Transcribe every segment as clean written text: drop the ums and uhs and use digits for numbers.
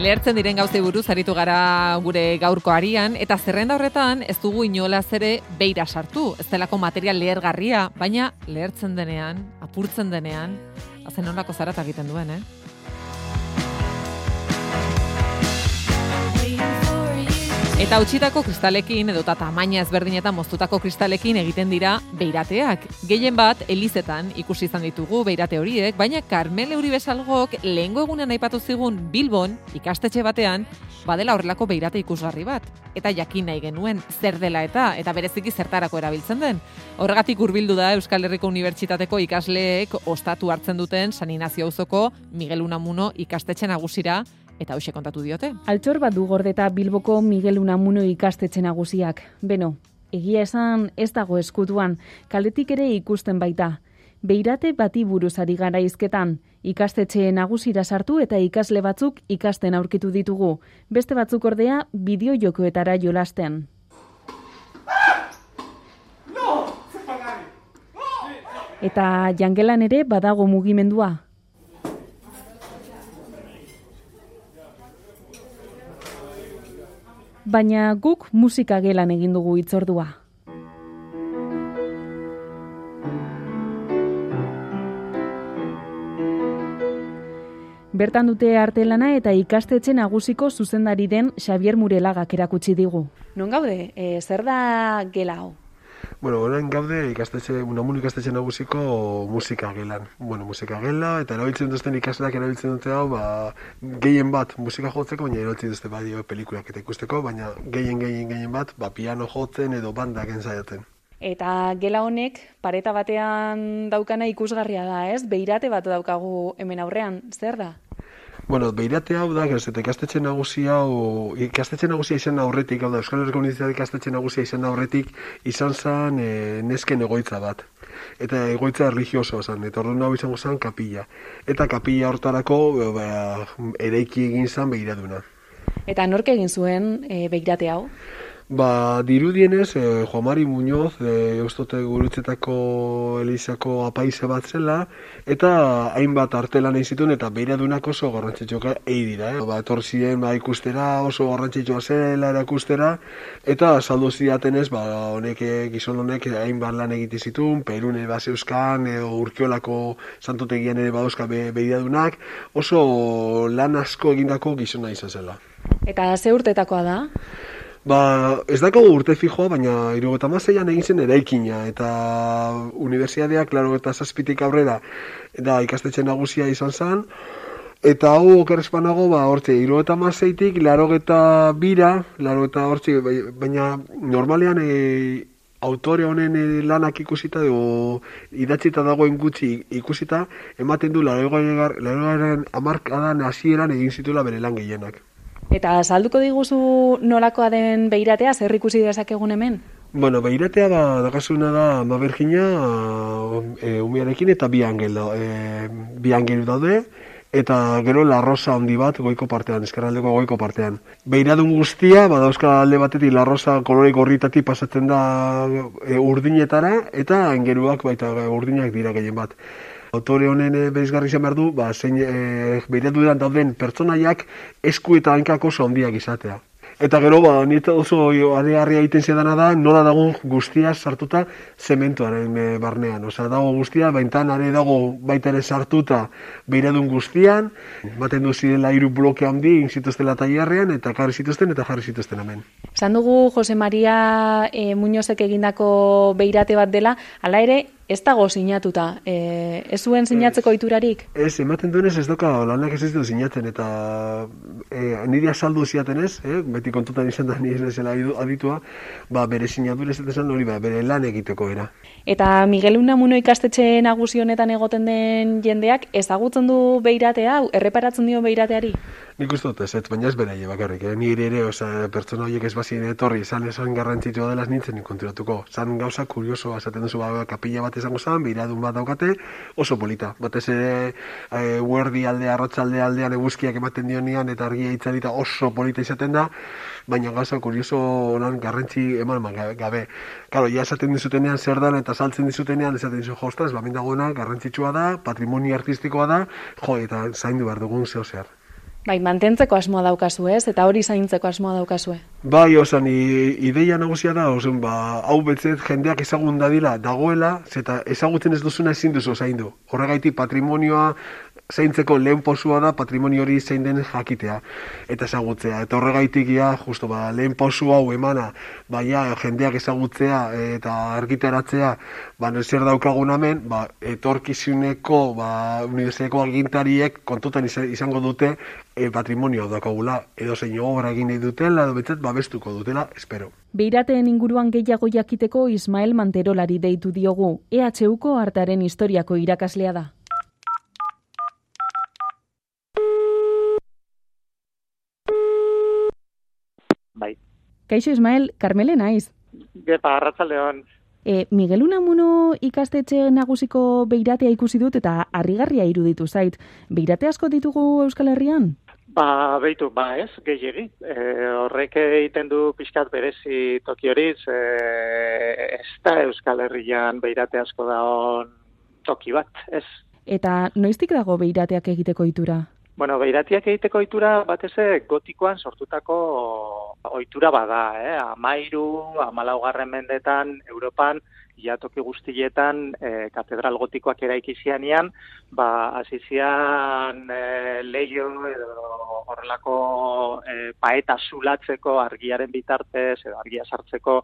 Lehertzen diren gauzei buruz aritu gara gure gaurko arian, eta zerrenda horretan ez dugu inolaz ere beira sartu. Ez delako material lehergarria, baina lehertzen denean, apurtzen denean, hazen nolako zarata egiten duen, Eta utzitako kristalekin edota tamaina ezberdinetan moztutako kristalekin egiten dira beirateak. Gehien bat, elizetan ikusi izan ditugu beirate horiek, baina Karmele Uribesalgok lehengo egunean aipatu zigun Bilbon, ikastetxe batean, badela horrelako beirate ikusgarri bat. Eta jakin nahi genuen zer dela eta bereziki zertarako erabiltzen den. Horregatik hurbildu da Euskal Herriko Unibertsitateko ikasleek ostatu hartzen duten San Inazio auzoko Miguel Unamuno ikastetxe nagusira, eta hoxe kontatu diote. Altxor bat du gordeta Bilboko Miguel Unamuno ikastetxe nagusiak. Beno, egia esan ez dago eskutuan, kaletik ere ikusten baita. Beirate bati buruz ari gara hizketan, ikastetxe nagusira sartu eta ikasle batzuk ikasten aurkitu ditugu. Beste batzuk ordea bideo-jokoetara jolasten. Eta jangelan ere badago mugimendua. Baina guk musika gelan egin dugu hitzordua. Bertan dute artelana eta ikastetxe nagusiko zuzendari den Xavier Murelagak erakutsi digu. Non gaude, zer da gela hau? Bueno, orain gaude Unamuno ikastetxe nagusiko musika gelan. Bueno, musika gela, eta erabiltzen duzten ikasleak erabiltzen dute hau, gehien bat musika jotzeko, baina erabiltzen duzte badio pelikulak eta ikusteko, baina gehien bat, piano jotzen edo bandak ensaiatzen. Eta gela honek pareta batean daukana ikusgarria da, ez? Beirate bat daukagu hemen aurrean, zer da? Bueno, beirate hau da, eta ikastetxe nagusia izan aurretik, hau da, Euskal Herriko Unibertsitateako ikastetxe nagusia izan aurretik, izan zen nesken egoitza bat. Eta egoitza religioso zen, eta orduan hau izango zen kapilla. Eta kapilla hortarako eraiki egin zen beiraduna. Eta nork egin zuen beirate hau? Dirudienez, Juan Mari Muñoz, Eustote Gurutzetako Elizako apaize bat zela, eta hainbat artelan egin zituen, eta beiradunak oso garrantzitsuak dira. Etorri ikustera, oso garrantzitsua zela erakustera, eta saldu zidatenez, gizon honek hainbat lan egiten zituen, Perune Baseuskan, Urkiolako santutegian ere badauzka beiradunak, oso lan asko egindako gizona izan zela. Eta ze urtetakoa da? Ez dako urte fijoa, baina 76an egin zen eraikina, eta unibertsitateak 87tik aurrera da ikastetxe nagusia izan zen, eta hau okerrezpanago, hortxe, 76tik 82ra, baina normalean autore honen lanak ikusita, idatzita dagoen gutxi ikusita, ematen du 80 hamarkadan hasieran egin zituela bere lan gehienak. Eta salduko diguzu nolakoa den beiratea, zer ikusi dezakegun hemen? Bueno, beiratea dakasuna da Ama Birjina umearekin eta bi angelu daude, eta gero La Rosa handi bat goiko partean, ezkerraldeko goiko partean. Beiradun guztia, dauzka alde batetik La Rosa kolore gorritatik pasatzen da urdinetara, eta angeluak baita urdinak dira gehien bat. Autore honen berizgarri izan behar du, zein beiraduran dauden pertsonaiak esku eta hankak oso handiak izatea. Eta gero, nieto oso arearria egiten zedana da, nola dago guztia sartuta zementuaren barnean. Osa, dago guztia, baintan are dago baita ere sartuta beiradun guztian, baten du zirela 3 bloke handi egin zituztela tailerrean, eta jarri zituzten hemen. Esan dugu Jose Maria Muñozek egindako beirate bat dela, hala ere, ez dago sinatuta. Ez zuen sinatzeko iturarik? Ez, ematen duenez ez doka lanak ez ditu sinatzen, eta nire azaldu ziaten ez, beti kontutan izan da nire zela aditua, bere sinaturez ez esan hori, bere lan egiteko era. Eta Miguel Unamuno ikastetxe nagusi honetan egoten den jendeak ezagutzen du beirate hau, erreparatzen dio beirateari? Nik uste dut ez, baina ez beraie bakarrik, nire ere, pertsona horiek ez bazien etorri, esan garrantzitsua dela nintzen konturatuko. Zan gauza kurioso, esaten duzu, kapilla bat izango zen, beiradun bat daukate, oso polita. Batez ere, huerdi aldea, arratsaldea aldean eguzkiak ematen dionean, eta argia itzalita oso polita izaten da, baina gauza kurioso honan garrantzi eman gabe. Karo, ja esaten dizutenean zer dan, eta saltzen dizutenean, esaten dizu, ostras, bamin dagoena, garrantzitsua da, patrimonio artistikoa da, eta zaindu behar dugun zeo zer. Bai, mantentzeko asmoa daukazu, ez? Eta hori zaintzeko asmoa daukazue. Bai, ideia nagusia da, hau betzet jendeak ezagun dadila dagoela, zeta ezagutzen ez duzuna ezin duzu zaindu. Horregaitik patrimonioa zaintzeko lehen posua da patrimonio hori zein den jakitea eta ezagutzea. Eta horregaitik lehen posu hau emana, jendeak ezagutzea eta argitaratzea, zer daukagun hemen, etorkizuneko unibertsitateko agintariek kontutan izango dute patrimonio daukagula, edo zein obra egin nahi dutela, edo betzet babestuko dutela, espero. Beirateen inguruan gehiago jakiteko Ismael Manterolari deitu diogu, EHUko artearen historiako irakaslea da. Bai. Kaixo Ismael, Karmele naiz. Gepa, arratsaldeon. Miguel Unamuno ikastetxe nagusiko beiratea ikusi dut eta harrigarria iruditu zait. Beirate asko ditugu Euskal Herrian? Beitu, ez, gehiegi. Horrek egiten du pixkat berezi toki horiz, ez da Euskal Herrian beirate asko dagoen toki bat, ez. Eta noiztik dago beirateak egiteko ohitura? Bueno, beiratiak egiteko ohitura batez gotikoan sortutako ohitura bada, 13-14 mendetan Europan toki guztietan katedral gotikoak eraiki zianean, hasi zian leiho edo horrelako paeta zulatzeko argiaren bitartez edo argia sartzeko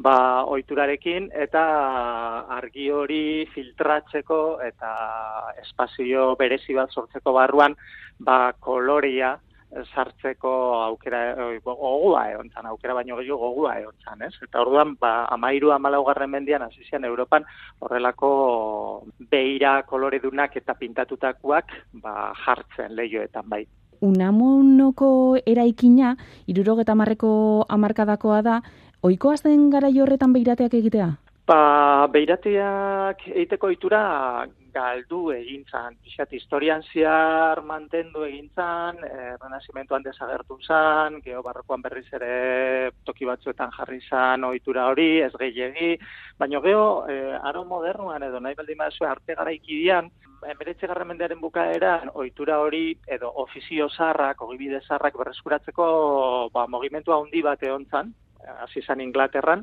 ohiturarekin eta argi hori filtratzeko eta espazio berezi bat sortzeko barruan kolorea sartzeko aukera gogua egontzan, aukera baino gehiago gogua egontzan, ez? Eta orduan 13-14 mendean hasi zian Europan horrelako beira koloredunak eta pintatutakoak jartzen leihoetan bai. Unamunoko eraikina 70ko hamarkadakoa da, ohikoa zen garai horretan beirateak egitea? Beirateak egiteko ohitura galdu egin zan, pixat historian zehar mantendu egin zan, renazimentuan desagertu zan, geobarrokoan berriz ere toki batzuetan jarri zan ohitura hori, ez gehiegi, baina aro modernuan edo nahi baldin baduzue arte garaikidean, 19. mendearen bukaeran ohitura hori edo ofizio zaharrak, ogibide zaharrak berreskuratzeko mugimendu handi bat egon zan, hasi zan Inglaterran,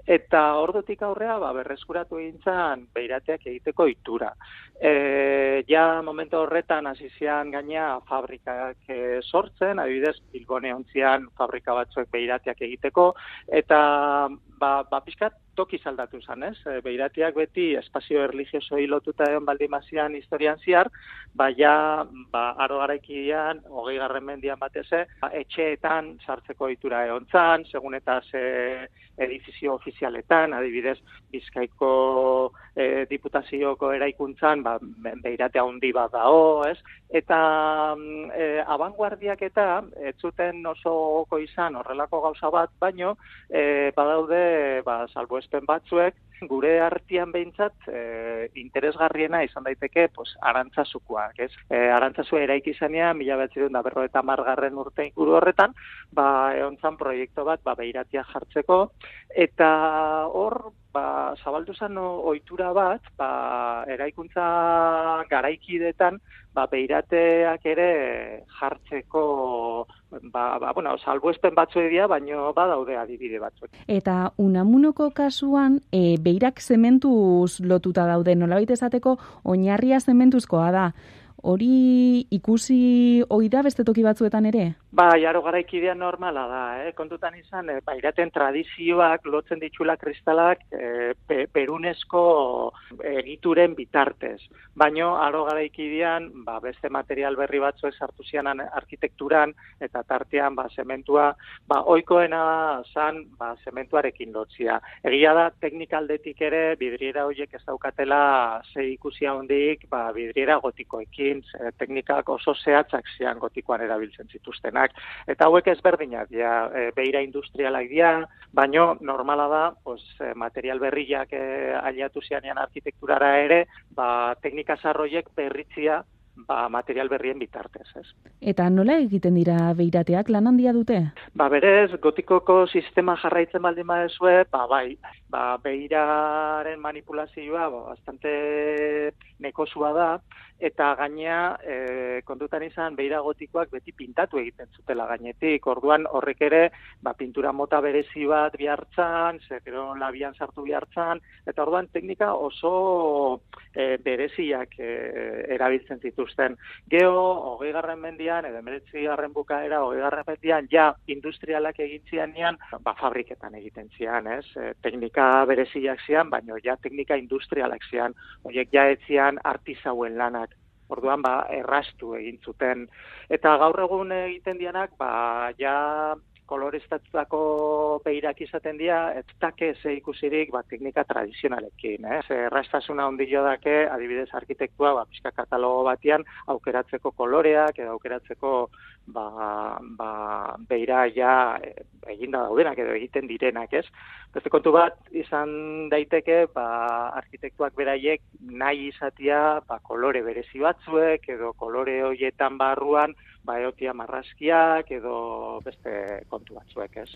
eta ordutik aurrea berreskuratu egin zan beirateak egiteko ohitura. Momentu horretan hasi zian gaina fabrikak sortzen, adibidez Bilbon egon zian fabrika batzuek beirateak egiteko, eta pixkat toki aldatu zan, ez? Beirateak beti espazio erlijiosoi lotuta egon baldin bazian historian zehar, aro garaikidean, 20. mendean batez, etxeetan sartzeko ohitura egon zan, segun eta edifizio ofizialetan, adibidez Bizkaiko diputazioko eraikuntzan, beirate handi bat dago, ez? Eta abanguardiak eta ez zuten oso gogoko izan horrelako gauza bat, baino badaude salbuespen batzuek gure artean behintzat interesgarriena izan daiteke arantzazukoak, ez? Arantzazua eraiki zanean 1950 urte inguru horretan, egon zan proiektu bat beiratia jartzeko, eta hor zabaldu zen ohitura bat, eraikuntza garaikidetan beirateak ere jartzeko salbuespen batzuek dira, baino badaude adibide batzuk. Eta Unamunoko kasuan beirak zementuz lotuta daude, nolabait esateko oinarria zementuzkoa da. Hori ikusi ohi da beste toki batzuetan ere? Aro garaikidean normala da, kontutan izan, beiraten tradizioak lotzen ditxula kristalak perunezko egituren bitartez. Baino, aro garaikidean, beste material berri batzuek sartu zianan arkitekturan, eta tartean, zementua, ohikoena zan, zementuarekin lotzia. Egia da, teknikaldetik ere, bidriera horiek ez daukatela ze ikusia hondik, bidriera gotikoekin, teknikak oso zehatzak zian gotikoan erabiltzen zituztenak. Eta hauek ezberdinak, beira industrialak dira, baino normala da, material berriak aliatu zianean arkitekturara ere, teknika zarroiek berritzia material berrien bitartez, ez? Eta nola egiten dira beirateak, lan handia dute? Berez, gotikoko sistema jarraitzen baldin badezue, beiraren manipulazioa bastante nekosua da, eta gainea kontutan izan beira gotikoak beti pintatu egiten zutela gainetik, orduan horrek ere pintura mota berezi bat bihartzan, gero labian sartu bihartzan, eta orduan teknika oso bereziak erabiltzen zituzten. Gero, 20. mendian, edo 19. bukaera, 20. mendian, ja industrialak egin zianean, fabriketan egiten zian, ez? Teknika bereziak zian, baina ja teknika industrialak zian, horiek ja etzian artisauen lanak. Orduan, errastu egin zuten. Eta gaur egun egiten dianak, ja koloreztatutako beirak izaten dira, ez dake ze ikusirik teknika tradizionalekin. Errastasuna ondio dake, adibidez arkitektua, pixka katalogo batian, aukeratzeko koloreak, edo aukeratzeko beira ja eginda daudenak edo egiten direnak, ez? Beste kontu bat izan daiteke, arkitektuak beraiek nahi izatea kolore berezi batzuek, edo kolore horietan barruan, eotia marrazkiak edo beste kontu batzuek, ez?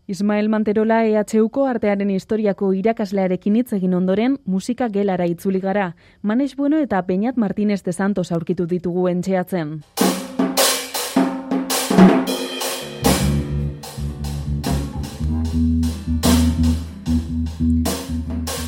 Ismael Manterola EHUko artearen historiako irakaslearekin hitz egin ondoren, musika gelara itzuli gara. Manes Bueno eta Peñat Martínez de Santos aurkitu ditugu entxeatzen.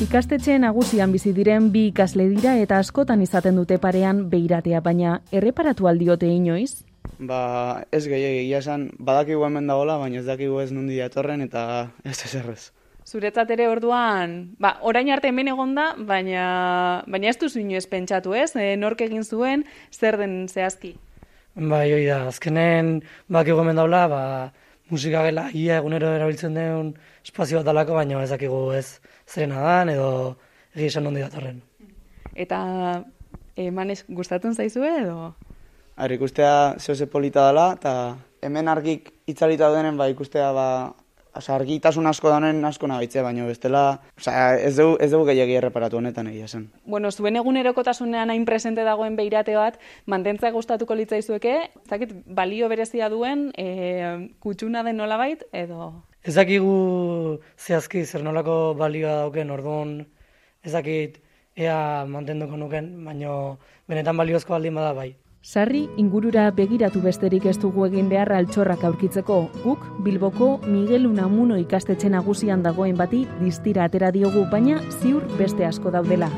Ikastetxe nagusian bizi diren bi ikasle dira eta askotan izaten dute parean beiratea, baina erreparatu aldiote inoiz? Ez gehiagia esan, badakigu hemen dagoela, baina ez dakigu ez nundi datorren eta ez ezerrez. Zuretzat ere orduan, orain arte hemen egon da, baina ez duzu inoiz pentsatu, ez? Nork egin zuen, zer den zehazki? Hoi da, azkenen badakigu hemen dagoela, musika gela ia egunero erabiltzen den espazio bat dalako, baina ez dakigu ez zerena dan edo egia esan nundi datorren. Eta Manes gustatzen zaizue edo? Ikustea zehose polita dela, eta hemen argik itzalita denen, ikustea, argitasun asko daunen asko nabitzea, baina bestela, ez dugu gehiagia erreparatu honetan egia zen. Bueno, zuen egunerokotasunean hain presente dagoen beirate bat, mantentzea gustatuko litzaizueke, zakit, balio berezia duen, kutsuna den nolabait, edo? Ez dakigu zehazki zer nolako balioa dauken, orduan ez dakit ea mantenduko nuken, baina benetan baliozko baldin bada bai. Sarri ingurura begiratu besterik ez dugu egin behar altxorrak aurkitzeko. Guk Bilboko Miguel Unamuno ikastetxe nagusian dagoen bati distira atera diogu, baina ziur beste asko daudela.